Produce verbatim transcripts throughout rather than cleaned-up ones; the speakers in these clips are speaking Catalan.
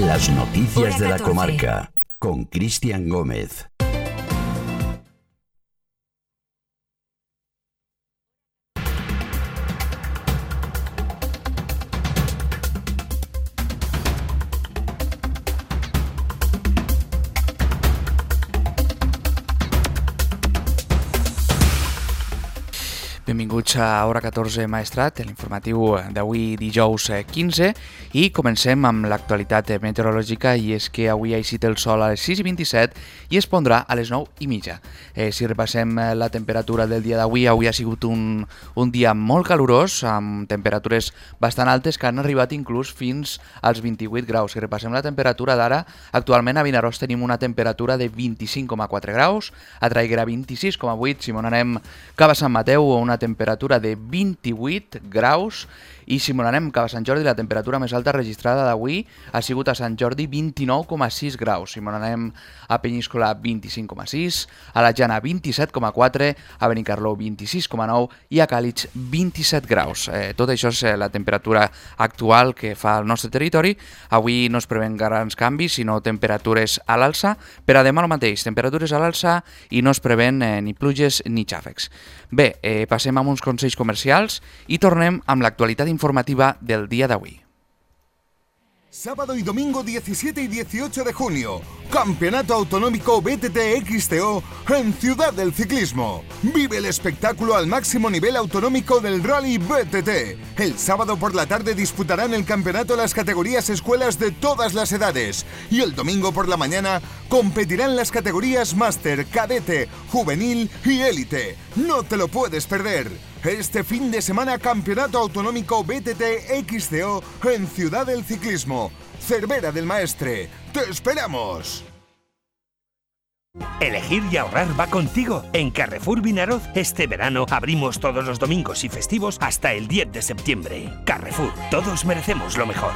Las noticias de la comarca con Cristian Gómez. Benvinguts a Hora catorze Maestrat, l'informatiu d'avui dijous quinze, i comencem amb l'actualitat meteorològica, i és que avui ha eixit el sol a les sis i vint-i-set i es pondrà a les nou i mitja. Eh, si repassem la temperatura del dia d'avui, avui ha sigut un, un dia molt calorós, amb temperatures bastant altes que han arribat inclús fins als vint-i-vuit graus. Si repassem la temperatura d'ara, actualment a Vinaròs tenim una temperatura de vint-i-cinc coma quatre graus, a Traiguera vint-i-sis coma vuit, si m'on anem cap a Sant Mateu, una temperatura de vint-i-vuit graus, i si m'on anem cap a Sant Jordi, la temperatura més alta registrada d'avui ha sigut a Sant Jordi vint-i-nou coma sis graus. Si m'on anem a Peníscola, vint-i-cinc coma sis, a la Jana vint-i-set coma quatre, a Benicarló vint-i-sis coma nou i a Càlig vint-i-set graus. Eh, tot això és la temperatura actual que fa el nostre territori. Avui no es preven grans canvis, sinó temperatures a l'alça. Per a demà el mateix, temperatures a l'alça i no es preven eh, ni pluges ni xàfecs. Bé, eh, passem amb uns consells comercials i tornem amb l'actualitat informativa del día de hoy. Sábado y domingo diecisiete y dieciocho de junio, Campeonato Autonómico B T T X T O en Ciudad del Ciclismo. Vive el espectáculo al máximo nivel autonómico del Rally B T T. El sábado por la tarde disputarán el campeonato las categorías escuelas de todas las edades. Y el domingo por la mañana competirán las categorías Máster, Cadete, Juvenil y Élite. No te lo puedes perder. Este fin de semana, Campeonato Autonómico B T T X C O en Ciudad del Ciclismo. Cervera del Maestre. ¡Te esperamos! Elegir y ahorrar va contigo. En Carrefour Vinaroz este verano abrimos todos los domingos y festivos hasta el diez de septiembre. Carrefour, todos merecemos lo mejor.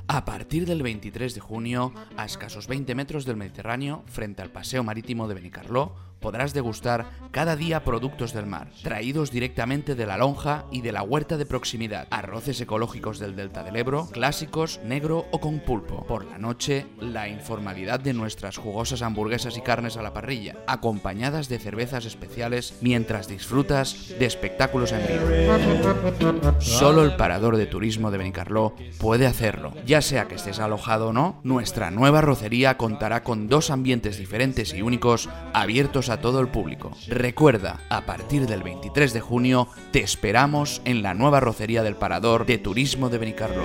A partir del veintitrés de junio, a escasos veinte metros del Mediterráneo, frente al Paseo Marítimo de Benicarló, podrás degustar cada día productos del mar, traídos directamente de la lonja y de la huerta de proximidad. Arroces ecológicos del Delta del Ebro, clásicos, negro o con pulpo. Por la noche, la informalidad de nuestras jugosas hamburguesas y carnes a la parrilla, acompañadas de cervezas especiales mientras disfrutas de espectáculos en vivo. Solo el Parador de Turismo de Benicarló puede hacerlo. Ya sea que estés alojado o no, nuestra nueva rocería contará con dos ambientes diferentes y únicos, abiertos a todo el público. Recuerda, a partir del veintitrés de junio te esperamos en la nueva rocería del Parador de Turismo de Benicarló.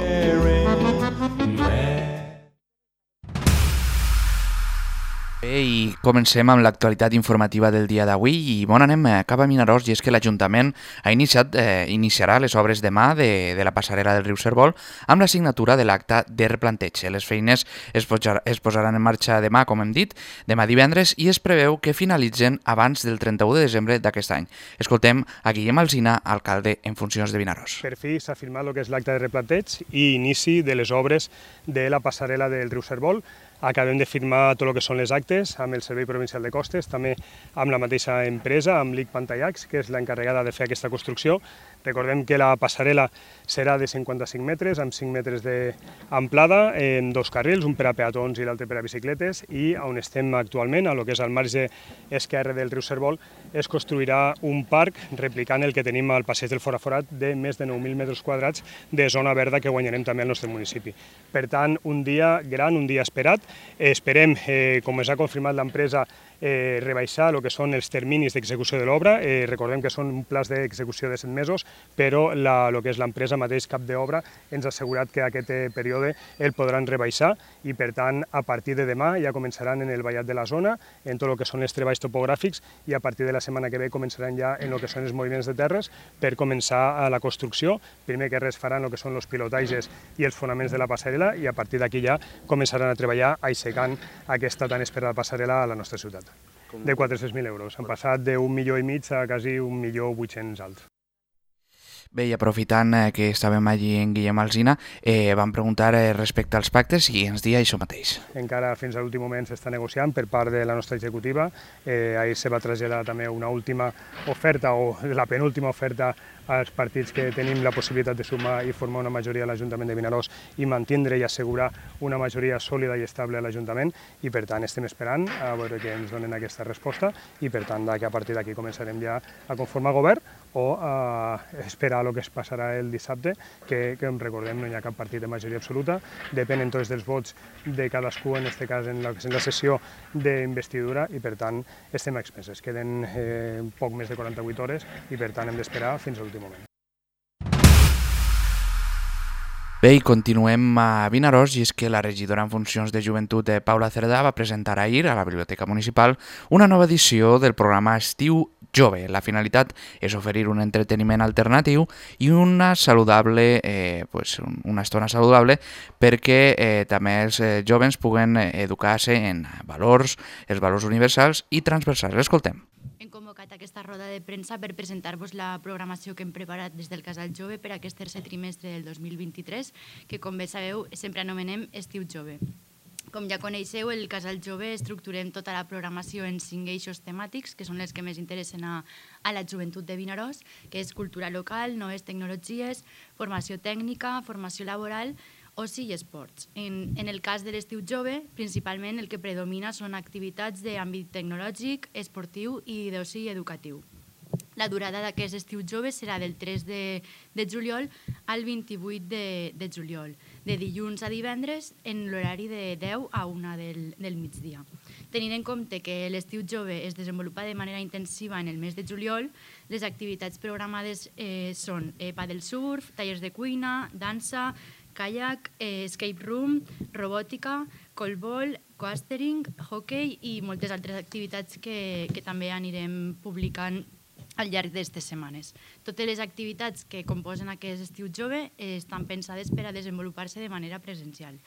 Bé, i comencem amb l'actualitat informativa del dia d'avui i bon anem cap a Vinaròs, i és que l'Ajuntament ha iniciat, eh, iniciarà les obres demà de, de la passarel·la del riu Cérvol amb la signatura de l'acte de replanteig. Les feines es, posar, es posaran en marxa demà, com hem dit, demà divendres, i es preveu que finalitzen abans del trenta-u de desembre d'aquest any. Escoltem a Guillem Alsina, alcalde en funcions de Vinaròs. Per fi s'ha firmat el que és l'acte de replanteig i inici de les obres de la passarel·la del riu Cérvol. Acabem de firmar tot el que són les actes amb el Servei Provincial de Costes, també amb la mateixa empresa, amb l'I C Pantallacs, que és l'encarregada de fer aquesta construcció. Recordem que la passarel·la serà de cinquanta-cinc metres, amb cinc metres d'amplada, en dos carrils, un per a peatons i l'altre per a bicicletes, i on estem actualment, a lo que és al marge esquerre del riu Cérvol, es construirà un parc replicant el que tenim al passeig del Foraforat de més de nou mil metres quadrats de zona verda que guanyarem també al nostre municipi. Per tant, un dia gran, un dia esperat. Esperem, eh, com ens ha confirmat l'empresa, eh, rebaixar el que són els terminis d'execució de l'obra. Eh, recordem que són un plaç d'execució de set mesos, però la, el que és l'empresa mateix cap d'obra ens ha assegurat que aquest eh, període el podran rebaixar i, per tant, a partir de demà ja començaran en el vallat de la zona, en tot el que són els treballs topogràfics, i a partir de la setmana que ve començaran ja en el que són els moviments de terres per començar a la construcció. Primer que res faran el que són els pilotatges i els fonaments de la passarel·la, i a partir d'aquí ja començaran a treballar aixecant aquesta tan esperada passarel·la a la nostra ciutat. De quatre-cents mil euros. Han passat d'un milió i mig a quasi un milió vuit-cents alts. Bé, i aprofitant eh, que estàvem allí en Guillem Alsina, eh, vam preguntar eh, respecte als pactes i ens dia això mateix. Encara fins a l'últim moment s'està negociant per part de la nostra executiva. Eh, ahir se va traslladar també una última oferta, o la penúltima oferta als partits que tenim la possibilitat de sumar i formar una majoria a l'Ajuntament de Vinaròs i mantindre i assegurar una majoria sòlida i estable a l'Ajuntament, i per tant estem esperant a veure que ens donen aquesta resposta i per tant que a partir d'aquí començarem ja a conformar govern o a esperar el que es passarà el dissabte, que, que recordem no hi ha cap partit de majoria absoluta, depenen tots dels vots de cadascú, en aquest cas en la, en la sessió d'investidura, i per tant estem a expenses. Queden eh, poc més de quaranta-vuit hores i per tant hem d'esperar fins a l'últim moment. Bé, i continuem a Vinaròs, i és que la regidora en funcions de joventut Paula Cerdà va presentar ahir a la Biblioteca Municipal una nova edició del programa Estiu Jove. La finalitat és oferir un entreteniment alternatiu i una saludable, eh, pues, una estona saludable perquè eh, també els eh, joves puguen educar-se en valors, els valors universals i transversals. L'escoltem. Hem convocat aquesta roda de premsa per presentar-vos la programació que hem preparat des del Casal Jove per aquest tercer trimestre del dos mil vint-i-tres, que, com bé sabeu, sempre anomenem Estiu Jove. Com ja coneixeu, el Casal Jove estructurem tota la programació en cinc eixos temàtics, que són els que més interessen a, a la joventut de Vinaròs, que és cultura local, noves tecnologies, formació tècnica, formació laboral, oci i esports. En, en el cas de l'Estiu Jove, principalment el que predomina són activitats d'àmbit tecnològic, esportiu i d'oci educatiu. La durada d'aquest Estiu Jove serà del tres de, de juliol al vint-i-vuit de, de juliol, de dilluns a divendres en l'horari de deu a una del, del migdia. Tenint en compte que l'Estiu Jove es desenvolupa de manera intensiva en el mes de juliol, les activitats programades eh, són eh, padel surf, tallers de cuina, dansa, kayak, eh, escape room, robòtica, colbol, coastering, hockey i moltes altres activitats que, que també anirem publicant al llarg d'aquestes setmanes. Totes les activitats que composen aquest Estiu Jove eh, estan pensades per a desenvolupar-se de manera presencial.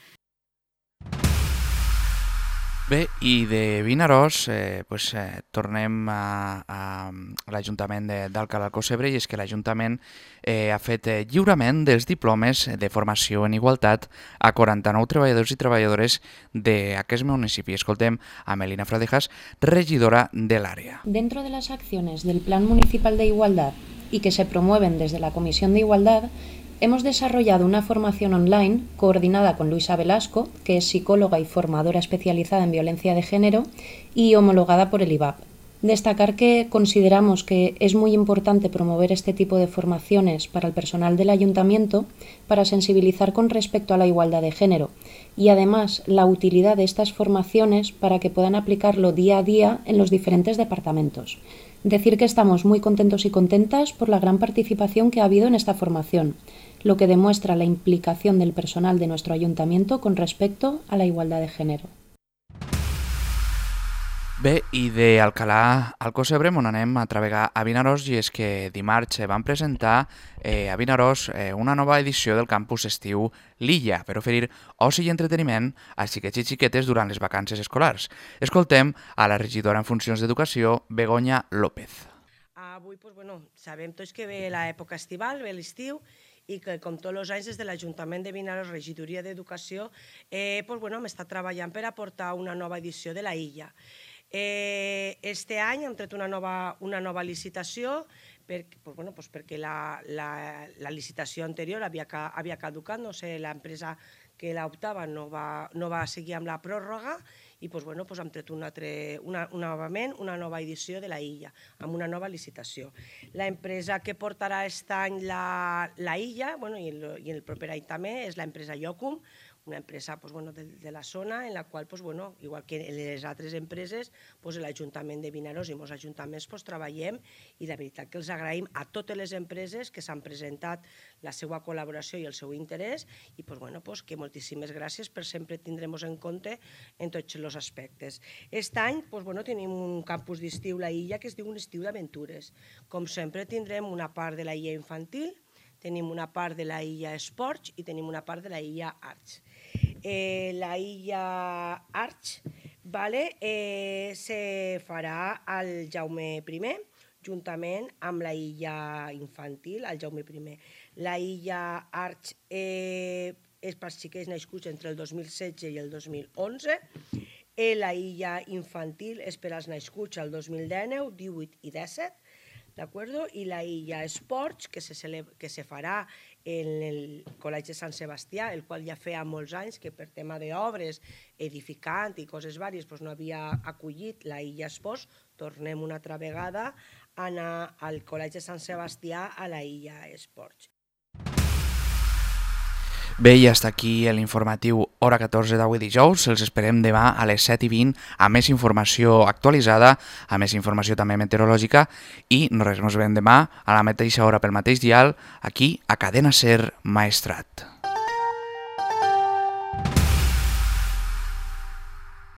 Bé, i de Vinaròs eh, pues, eh, tornem a, a, a l'Ajuntament d'Alcalà Alcocebre, i és que l'Ajuntament eh, ha fet eh, lliurament dels diplomes de formació en igualtat a quaranta-nou treballadors i treballadores d'aquest municipi. Escoltem a Melina Fradejas, regidora de l'àrea. Dentro de las acciones del Plan Municipal de Igualdad y que se promueven desde la Comisión de Igualdad, hemos desarrollado una formación online coordinada con Luisa Velasco, que es psicóloga y formadora especializada en violencia de género y homologada por el I V A P. Destacar que consideramos que es muy importante promover este tipo de formaciones para el personal del ayuntamiento para sensibilizar con respecto a la igualdad de género y además la utilidad de estas formaciones para que puedan aplicarlo día a día en los diferentes departamentos. Decir que estamos muy contentos y contentas por la gran participación que ha habido en esta formación, lo que demuestra la implicación del personal de nuestro ayuntamiento con respecto a la igualdad de género. Bé, i d'Alcalà Alcocebre m'on anem a travegar a Vinaròs, i és que dimarts van presentar eh, a Vinaròs eh, una nova edició del campus estiu L'Illa per oferir oci i entreteniment a xiquets i xiquetes durant les vacances escolars. Escoltem a la regidora en funcions d'Educació, Begoña López. Avui, pues, bueno, sabem tots que ve l'època estival, ve l'estiu, i que, com tots els anys, des de l'Ajuntament de Vinaròs, Regidoria d'Educació, eh, pues, bueno, m'està treballant per aportar una nova edició de la Illa. Eh, este any hem tret una nova, una nova licitació per, pues, bueno, pues perquè la, la, la licitació anterior havia, havia caducat, no sé, l'empresa que l'optava no, va, no va seguir amb la pròrroga i pues, bueno, pues hem tret una, una, novament una nova edició de la Illa, amb una nova licitació. L'empresa que portarà aquest any la, la Illa, bueno, i, el, i el proper any també, és l'empresa Iocum, una empresa pues, bueno, de, de la zona en la qual, pues, bueno, igual que en les altres empreses, pues, l'Ajuntament de Vinaròs i molts ajuntaments pues, treballem, i la veritat que els agraïm a totes les empreses que s'han presentat la seva col·laboració i el seu interès, i pues, bueno, pues, que moltíssimes gràcies per sempre tindrem en compte en tots els aspectes. Aquest any pues, bueno, tenim un campus d'estiu La Illa que es diu un estiu d'aventures. Com sempre tindrem una part de la Illa infantil, tenim una part de la Illa Esports i tenim una part de la Illa Arts. Eh, la Illa Arts vale, eh, se farà al Jaume primer, juntament amb la Illa Infantil, al Jaume primer. La Illa Arts eh, és per xiquets nascuts entre el dos mil setze i el dos mil onze. Eh, la Illa Infantil és per als nascuts el dos mil dinou, divuit i disset. d'acord? I la Illa Esports, que se, que se farà en el Col·legi de Sant Sebastià, el qual ja feia molts anys que per tema d'obres, edificant i coses vàries no havia acollit la Illa Esports. Tornem una altra vegada a anar al Col·legi de Sant Sebastià a la Illa Esports. Bé, i hasta aquí l'informatiu hora catorze d'avui dijous. Els esperem demà a les set i vint amb més informació actualitzada, amb més informació també meteorològica i res, nos veiem demà a la mateixa hora pel mateix dial aquí a Cadena Ser Maestrat.